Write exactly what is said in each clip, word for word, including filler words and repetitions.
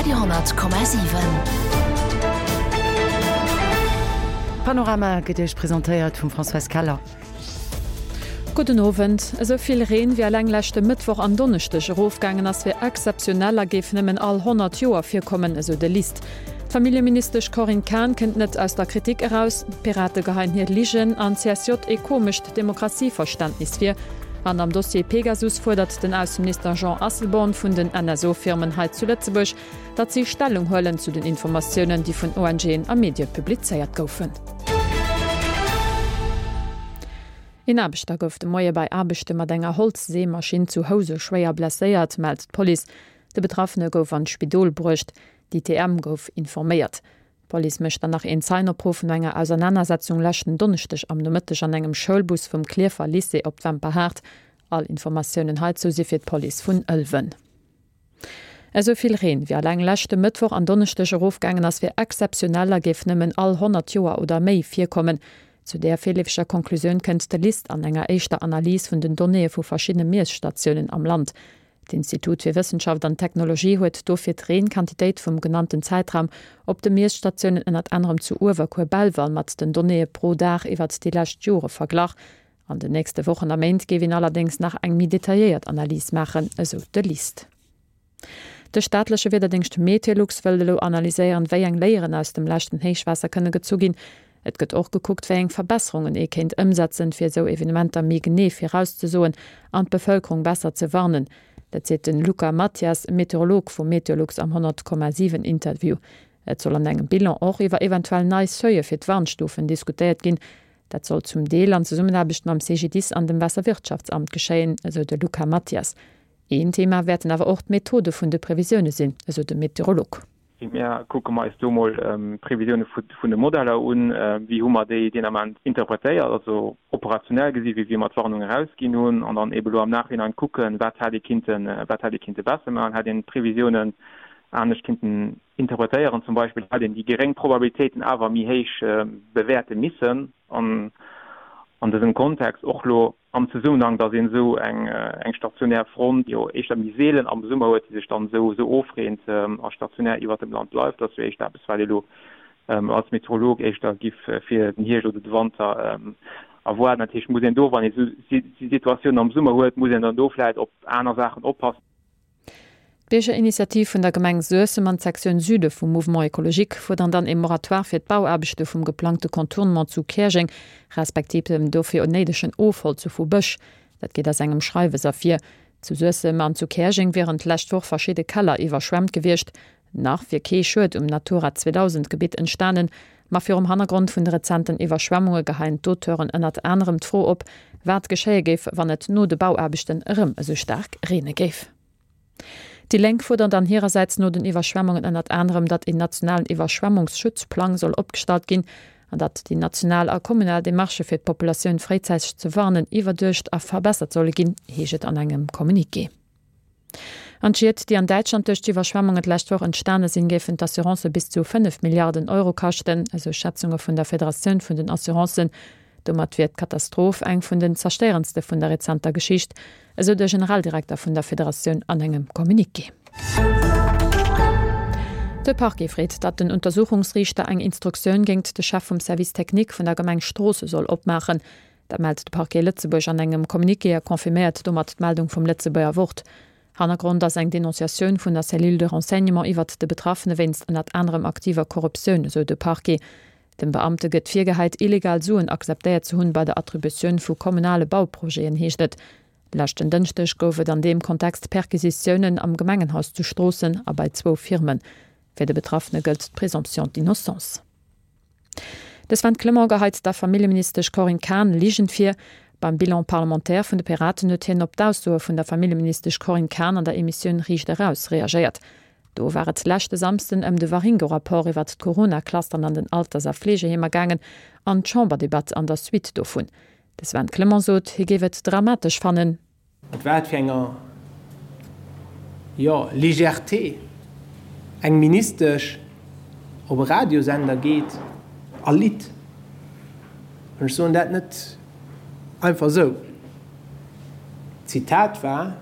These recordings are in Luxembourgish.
Radio honnert Komma siwen. Panorama gëtt Iech presentéiert vum Françoise Keller. Gudden Owend. Esou vill Reen, wéi eleng leschte Mëttwoch an Donneschdeg erofgaangen ass, wier exzeptionell a géif nëmmen all honnert Joer virkommen, esou de LIST. D'Familljeministesch Corinne Cahen kënnt net aus der Kritik eraus. D'Pirate geheien hir Ligen an C S J ee komescht Demokratieverständnis vir. An am Dossier Pegasus fuerdert den Ausseminister Jean Asselborn vun den N S O-Firmen hei zu Lëtzebuerg, datt si Stellung huelen zu den Informatiounen, déi vun O N G'en a Medie publizéiert goufen. Een Aarbechter gouf de Moie bei Aarbechte mat enger Holzseemaschinn zu Housen schwéier blesséiert, mellt d'Police. De Betraffene gouf an d'Spidol bruecht. D'I T M gouf informéiert. D'Police mécht dann nach een Zeienopruff no enger Ausernanersetzung leschten Donneschdeg am Nomëtteg an engem Schoulbus vum Klierfer Lycée op d'Wemperhaart. All Informatiounen heizou si fir d'Police vun Ëlwen. Esou vill Reen, wéi eleng leschte Mëttwoch an Donneschdeg erofgaangen ass, wier exzeptionell a géif nëmmen all honnert Joer oder méi virkommen. Zu där virleefeger Konklusioun kënnt de LIST an enger éischter Analys vun den Donnéeë vu verschiddene Miesstatiounen am Land. D'Institut fir Wëssenschaft an Technologie huet dofir d'Reenquantitéit vum genannten Zäitraum op de Miesstatiounen ënnert anerem zu Uewerkuer-Belval mat den Donnéeë pro Dag iwwert déi lescht Jore verglach. An den nächste Wochen a Méint géif een allerdéngs nach eng méi detailléiert Analys maachen, esou de LIST. De staatleche Wiederdéngscht Meteolux wëll elo analyséieren, wéi eng Léieren aus dem leschten Héichwaasser kënne gezu ginn. Et gëtt och gekuckt, wéi eng Verbesserungen ee kéint ëmsetzen, fir esou Evenementer méi genee virauszesoen an d'Bevëlkerung besser ze warnen. Dat seet den Luca Mathias, Meteorolog vu Meteolux am honnert Komma siwen Interview. Et soll an engem Bilan och iwwer eventuell nei Seuile fir d'Warnstufen diskutéiert ginn. Dat soll zum Deel an Zesummenaarbecht mam C G D I S an dem Waasserwirtschaftsamt geschéien, esou de Luca Mathias. Een Thema wäerten awer och d'Methode vun de Previsioune sinn, esou de Meteorolog. Mir kucke mer eis do mol d'Previsioune vun de Modeller un, wéi hu mer déi deen Ament interpretéiert, also operationell gesi wéi mer d'Warnung erausginn hunn, an dann eebe lo am Nachhinein kucken, wat hätt ee kinnten, wat hätt ee kinnte besser maachen, hätt een d'Previsiounen anescht kinnten interpretéieren, zum Beispill hätt een déi geréng Probabilitéiten awer méi héich bewäerte missen an an dësem Kontext, och lo am Zesummenhang, datt een esou eng eng stationär Front jo éischter méi seelen am Summer huet, déi sech dann esou esou ofreent a stationär iwwert dem Land bleift. Dat ass jo éischter eppes, wat ee lo als Meteorolog éischter giff fir den Hierscht oder de Wanter erwaarden. Dat heescht, muss een do, wann ee esou Situatiounen am Summer huet, muss een dann do vläicht op aner Saachen oppassen. D'Biergerinitiativ vun der Gemeng Suessem an d'Sektioun Süde vum Mouvement Ecologique fuerderen dann ee Moratoire fir d'Bauaarbechte vum geplangte Contournement zu Käerjeng, respektiv dem dofir néidegen Ofholze vu Bësch. Dat geet aus engem Schreiwes ervir. Zu Suessem an zu Käerjeng wieren d'lescht Woch verschidde Keller iwwerschwemmt gewiescht. Nach wier kee Schued um Natura zweedausend Gebitt entstanen, ma virum Hannergrond vun de rezenten Iwwerschwemmunge geheien d'Auteuren ënnert anerem d'Fro op, wat geschéie géif, wann et no de Bauaarbechten erëm esou staark reene géif. Déi Lénk fuerderen dann hirersäits no den Iwwerschwemmungen ënnert anerem, datt een nationalen Iwwerschwemmungsschutzplang soll opgestallt ginn an datt déi national a kommunal Demarchë fir d'Populatioun fréizäiteg ze warnen iwwerduecht a verbessert solle ginn, heescht et an engem Communiqué. An d'Schied, déi an Däitschland duerch d'Iwwerschwemmungen d'lescht Woch entstane sinn, géifen d'Assurancë bis zu fënnef Milliarden Euro kaschten, esou Schätzunge vun der Federatioun vun den Assurancen. Domat wier d'Katastroph eng vun den zerstéierendste vun der rezenter Geschicht, esou de Generaldirekter vun der Federatioun an engem Communiqué. De Parquet freet, datt den Untersuchungsriichter eng Instruktioun géint de Chef vum Service technique vun der Gemeng Stroosse soll opmaachen. Dat mellt de Parquet Lëtzebuerg an engem Communiqué a confirméiert domat d'Meldung vum Lëtzebuerger Wort. Hannergrond ass eng Denonciatioun vun der Cellule de renseignement iwwert de Betraffene wéinst ënnert anerem aktiver Korruptioun, esou de Parquet. Dem Beamte gëtt virgehäit, illegal Suen akzeptéiert ze hunn bei der Attributioun vu kommunale Bauprojeten, heescht et. Leschten Dënschdeg gouf et an deem Kontext Perquisitiounen am Gemengenhaus zu Stroossen a bei zwou Firmen. Fir de Betraffene gëllt d'Présomption d'innocence. De Sven Clement geheit der Familljeministesch Corinne Cahen Ligen vir. Beim Bilan parlementaire vun de Piraten huet hien op d'Aussoe vun der Familljeministesch Corinne Cahen an der Emissioun Riicht Eraus reagéiert. Do war et leschte Samsden ëm de Waringo-Rapport iwwert d'Corona-Clusteren an den Alters a Fleegeheemer gaangen an d'Chamberdebatt an der Suite dovun. De Sven Clement sot, hie géif et dramatesch fannen. Mat wat fir enger, jo, Légèreté eng Ministesch op e Radiosender geet a litt. An ech soen dat net einfach esou. D'Zitat war,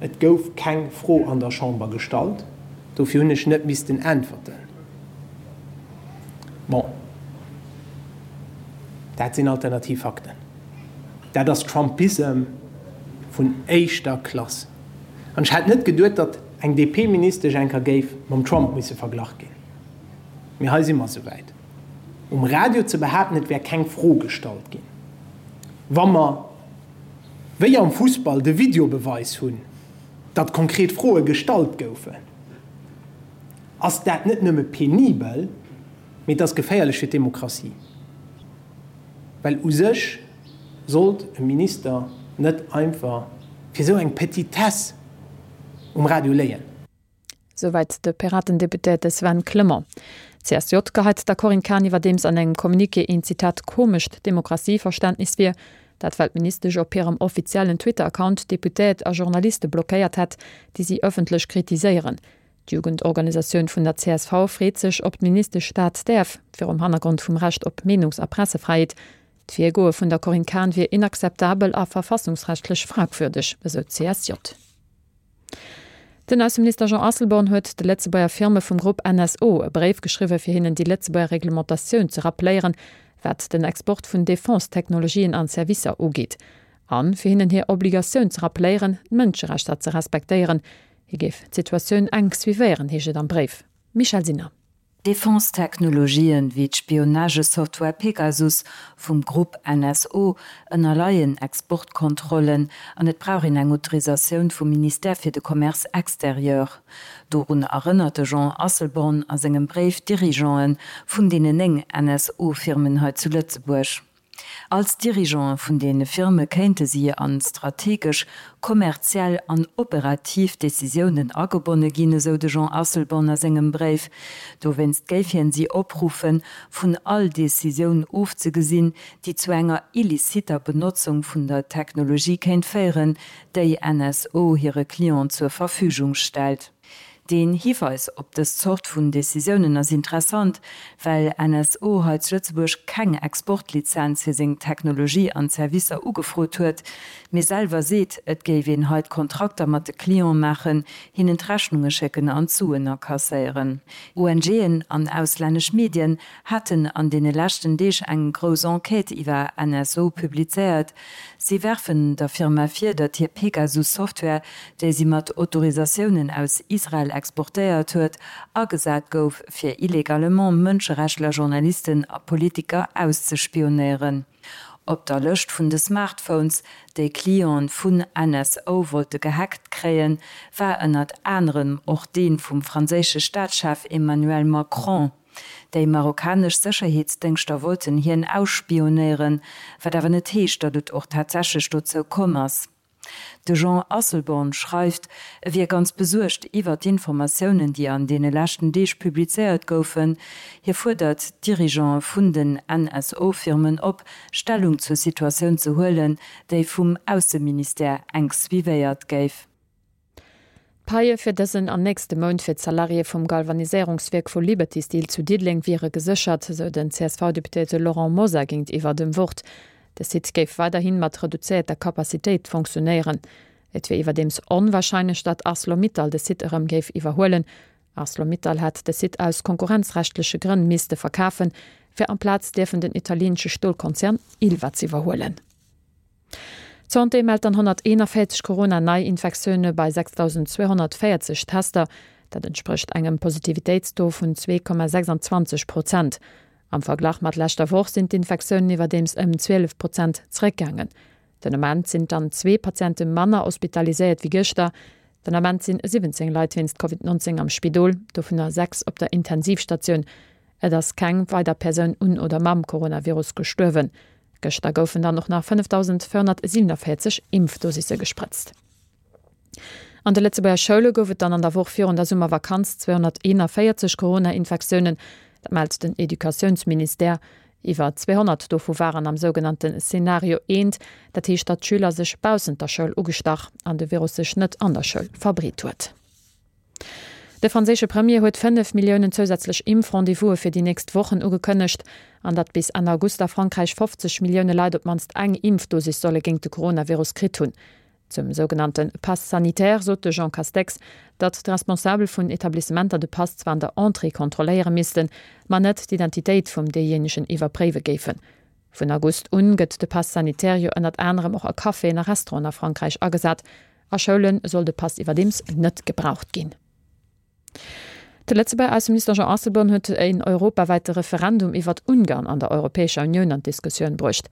Et gouf keng Fro an der Chamber gestallt. Dofir hunn ech net missten äntwerten. Bon, dat sinn alternativ Fakten. Dat ass Trumpissem vun éischter Klass. An ech hätt net geduet, datt eng D P-Ministesch eng Kéier géif mam Trump misse verglach ginn. Mee hei si mer souwäit. Um Radio ze behaapten, et wär keng Fro gestallt ginn, wa mer wéi am Fussball de Videobeweis hunn, datt konkret Froe gestallt goufen, ass dat net nëmme penibel, mee et ass geféierlech fir d'Demokratie. Well u sech sollt e Minister net einfach fir esou eng Petitesse um Radio léien. Souwäit de Piraten-Deputéierte Sven Clement. D C S J geheit der Corinne Cahen iwwerdeems an engem Communiqué een, Zitat, komescht Demokratieverständnis vir, dat well d'Ministesch op hirem offiziellen Twitter-Account Deputéiert a Journaliste blockéiert hätt, déi si ëffentlech kritiséieren. D'Jugendorganisatioun vun der C S V freet sech, ob d'Ministesch dat däerf, virum Hannergrond vum Recht op Meenungs a Pressefräiheet. D'Virgoe vun der Corinne Cahen wier inakzeptabel a verfassungsrechtlech fragwürdeg, esou d'C S J. Den Ausseminister Jean Asselborn huet de Lëtzebuerger Firme vum Grupp N S O e Bréif geschriwwen, fir hinnen déi Lëtzebuerger Reglementatioun ze rappelléieren, wat den Export vun Defense-Technologien an Servicer ugeet. An fir hinnen hir Obligatioun ze rappelléieren, d'Mënscherechter ze respektéieren. Hie géif d'Situatioun enk suivéieren, heescht et am Bréif. Michèle Sinner. Defense-Technologien wéi d'Spionagesoftware Pegasus vum Grupp N S O ënnerleien Exportkontrollen an et brauch een eng Autorisatioun vum Ministère fir de Commerce extérieur. Dorun erënnert de Jean Asselborn a sengem Bréif d'Dirigeanten vun deenen néng N S O-Firmen hei zu Lëtzebuerg. Als Dirigeante vun deene Firme kéinte si an strategesch, kommerziell an operativ Decisiounen agebonne ginn, esou de Jean Asselborn a sengem Bréif. Dowéinst géif hien si opruffen, vun all Decisioun ofzegesinn, déi zu enger illiciter Benotzung vun der Technologie kéint féieren, déi N S O hire Clienten zur Verfügung stellt. Den Hiweis op dës Zort vun Decisiounen ass interessant, well N S O hei zu Lëtzebuerg keng Exportlizenz fir seng Technologie an Servicer ugefrot huet, mee selwer seet, et géif een hei Kontrakter mat de Cliente maachen, hinnen d'Rechnunge schécken an d'Suen akasséieren. O N G'en an auslännesch Medien haten an deene leschten Deeg eng grouss Enquête iwwer N S O publizéiert. Si werfen der Firma vir, datt hir Pegasus-Software, déi si mat Autorisatiounen aus Israel exportéiert huet, agesat gouf, fir illegalement Mënscherechtler, Journalisten a Politiker auszespionéieren. Op der Lëscht vun de Smartphones, déi Cliente vun N S O wollte gehackt kréien, war ënnert anerem och dee vum franséische Staatschef Emmanuel Macron. Déi marokkanesch Sécherheetsdéngschter wollten hien ausspionéieren, wat awer net heescht, datt et och tatsächlech dozou komm ass. De Jean Asselborn schreift, e wier ganz besuergt iwwer d'Informatiounen, déi an deene leschten Deeg publizéiert goufen. Hie fuerdert d'Dirigeante vun den N S O-Firmen op, Stellung zur Situatioun ze huelen, déi vum Ausseministère enk suivéiert géif. D'Paie fir dësen an nächste Mount fir d'Salariéë vum Galvaniséierungswierk vu Liberty Steel zu Diddeleng wiere geséchert, sou den C S V-Deputéierte Laurent Mosar géintiwwer dem Wort. De Site géif weiderhi mat reduzéierter Kapazitéit funktionéieren. Et wier iwwerdeems onwarscheinlech, datt ArcelorMittal de Site erëm géif iwwerhuelen. ArcelorMittal hat de Site aus konkurrenzrechtleche Grënn misste verkafen, fir amplaz dierfen den italieenesche Stolkonzern Ilva ze iwwerhuelen. D'Santé mellt dann honnerteenanvéierzeg Corona-Neiinfektioune bei sechsdausendzweehonnertvéierzeg Tester. Dat entsprécht engem Positivitéitstaux vun zwee Komma sechsanzwanzeg Prozent. Am Verglach mat leschter Woch sinn d'Infektiounen iwwerdeems ëm zwielef Prozent zeréckgaangen. Den Ament sinn dann zwee Patiente manner hospitaliséiert wéi gëschter. Den Ament sinn siwwenzéng Leit wéinst Covid neunzéng am Spidol, dovunner sechs op der Intensivstatioun. Et ass keng weider Persoun un oder mam Coronavirus gestuerwen. Gëschter goufen dann och nach fënnefdausendvéierhonnertsiewenanvéierzeg Impfdosisse gesprëtzt. An de Lëtzebuerger Schoule gouf et dann an der Woch virun der Summervakanz zweehonnerteenanvéierzeg Corona-Infektiounen, dat mellt den Educatiounsministère. Iwwer zweehonnert dovu waren am sougenannte Szenario eent, dat heescht datt d'Schüler sech baussent der Schoul ugestach an de Virus sech net an der Schoul verbreet huet. De franséische Premier huet fënnef Milliounen zousätzlech Impf-Rendez-vouse fir déi nächst Wochen ugekënnegt, an datt bis Enn August a Frankräich fofzeg Millioune Leit op d'mannst eng Impfdosis solle géint de Coronavirus kritt hunn. Zum sougenannte Pass sanitaire sot de Jean Castex, datt d'Responsabel vun Etablissementer de Pass zwar an der Entrée kontrolléiere missten, ma net d'Identitéit vum deejéinegen iwwerpréiwe géifen. Vun August un gëtt de Pass sanitaire jo ënnert anerem och a Caféen a Restauranten a Frankräich agesat. A Schoule soll de Pass iwwerdeems net gebraucht ginn. De Lëtzebuerger Ausseminister Jean Asselborn huet een europawäite Referendum iwwert Ungarn an der Europäescher Unioun an d'Diskussioun bruecht.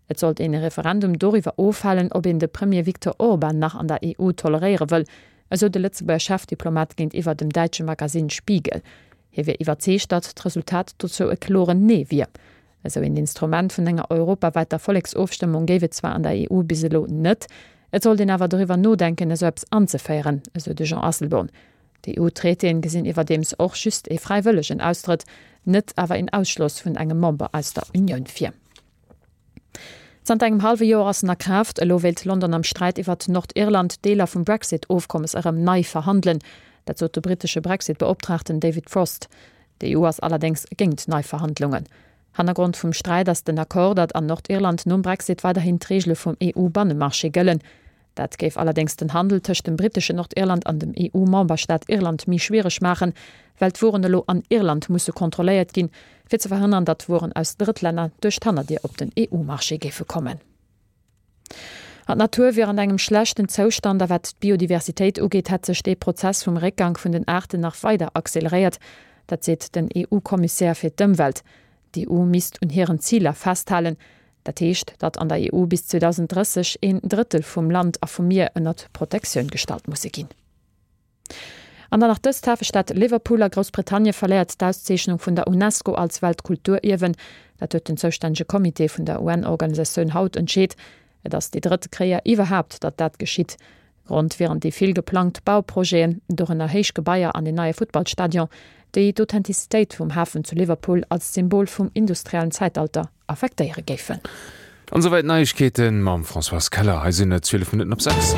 Et sollt een e Referendum doriwwer ofhalen, ob een de Premier Viktor Orban nach an der E U toleréiere wëll, esou de Lëtzebuerger Chefdiplomat géintiwwer dem däitsche Magasinn Spiegel. Hie wier iwwerzeegt, datt d'Resultat dozou e kloren Nee wier. Esou een Instrument vun enger europawäiter Volleksofstëmmung géif et zwar an der E U bis elo net, et sollt een awer doriwwer nodenken, esou eppes anzeféieren, esou de Jean Asselborn. D'E U-Traitéen gesinn iwwerdeems och just ee fräiwëllegen Austrëtt, net awer een Ausschloss vun engem Member aus der Unioun vir. Zanter engem hallwe Joer ass en a Kraaft. Elo wéilt London am Sträit iwwert Nordirland Deeler vum Brexit-Ofkommes erëm nei verhandelen. Dat sot de brittesche Brexit-Beoptraagten David Frost. D'E U ass allerdéngs géint nei Verhandlungen. Hannergrond vum Sträit ass den Accord, datt an Nordirland nom Brexit weiderhin d'Reegele vum E U-Bannemarché gëllen. Dat géif allerdéngs den Handel tëscht dem britteschen Nordirland an dem E U-Memberstaat Irland méi schwiereg maachen, well d'Wueren elo an Irland musse kontrolléiert ginn, fir ze verhënnern, datt Wueren aus Drëttlänner duerch d'Hannerdier op den E U-Marché géife kommen. An d'Natur wier an engem schlechten Zoustand a wat d'Biodiversitéit ugeet, hätt sech dee Prozess vum Réckgang vun den Aarten nach weider acceleréiert. Dat seet den E U-Kommissär fir d'Ëmwelt. D'E U misst un hiren Ziler festhalen. Dat heescht, datt an der E U bis zweedausenddrësseg een Drëttel vum Land a vum Mier ënnert Protektioun gestallt musse ginn. An dann nach dëst, D'Hafestad Liverpool a Groussbritannie verléiert d'Auszeechnung vun der Unesco als Weltkulturierwen. Dat huet den zoustännege Comité vun der U N-Organisatioun haut entscheet. Et ass déi drëtte Kéier iwwerhaapt, datt dat geschitt. Grond wieren déi vill geplangt Bauprojeten, dorënner héich Gebaier an een neie Futtballstadion, déi d'Authentizitéit vum Hafen zu Liverpool als Symbol vum industriellen Zäitalter affektéiere géifen. An esouwäit d'Neiegkeeten mam Françoise Keller. Hei sinn et zwielef Minutten op sechs.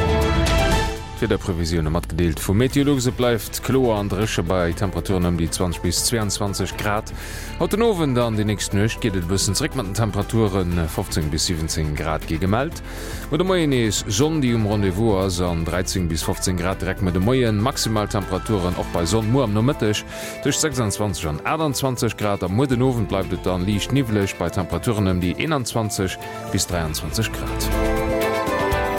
D'Wiederprevisioune matgedeelt vu Meteolux, Et bleift kloer an dréche bei Temperaturen ëm déi zwanzeg bis zweeanzwanzeg Grad. Haut den Owend an déi nächst Nuecht geet et e bëssen zeréck mat den Temperaturen, fofzéng bis siwwenzéng Grad gi gemellt. Muer de Moien nees Sonn, déi um Rendez-vous ass an dräizéng bis fofzéng Grad direkt muer de Moien. Maximal Temperaturen och bei Sonn muer am Nomëtteg tëscht sechsanzwanzeg an aachtanzwanzeg Grad a muer den Owend bleift et dann liicht niwweleg bei Temperaturen ëm déi eenanzwanzeg bis dräianzwanzeg Grad.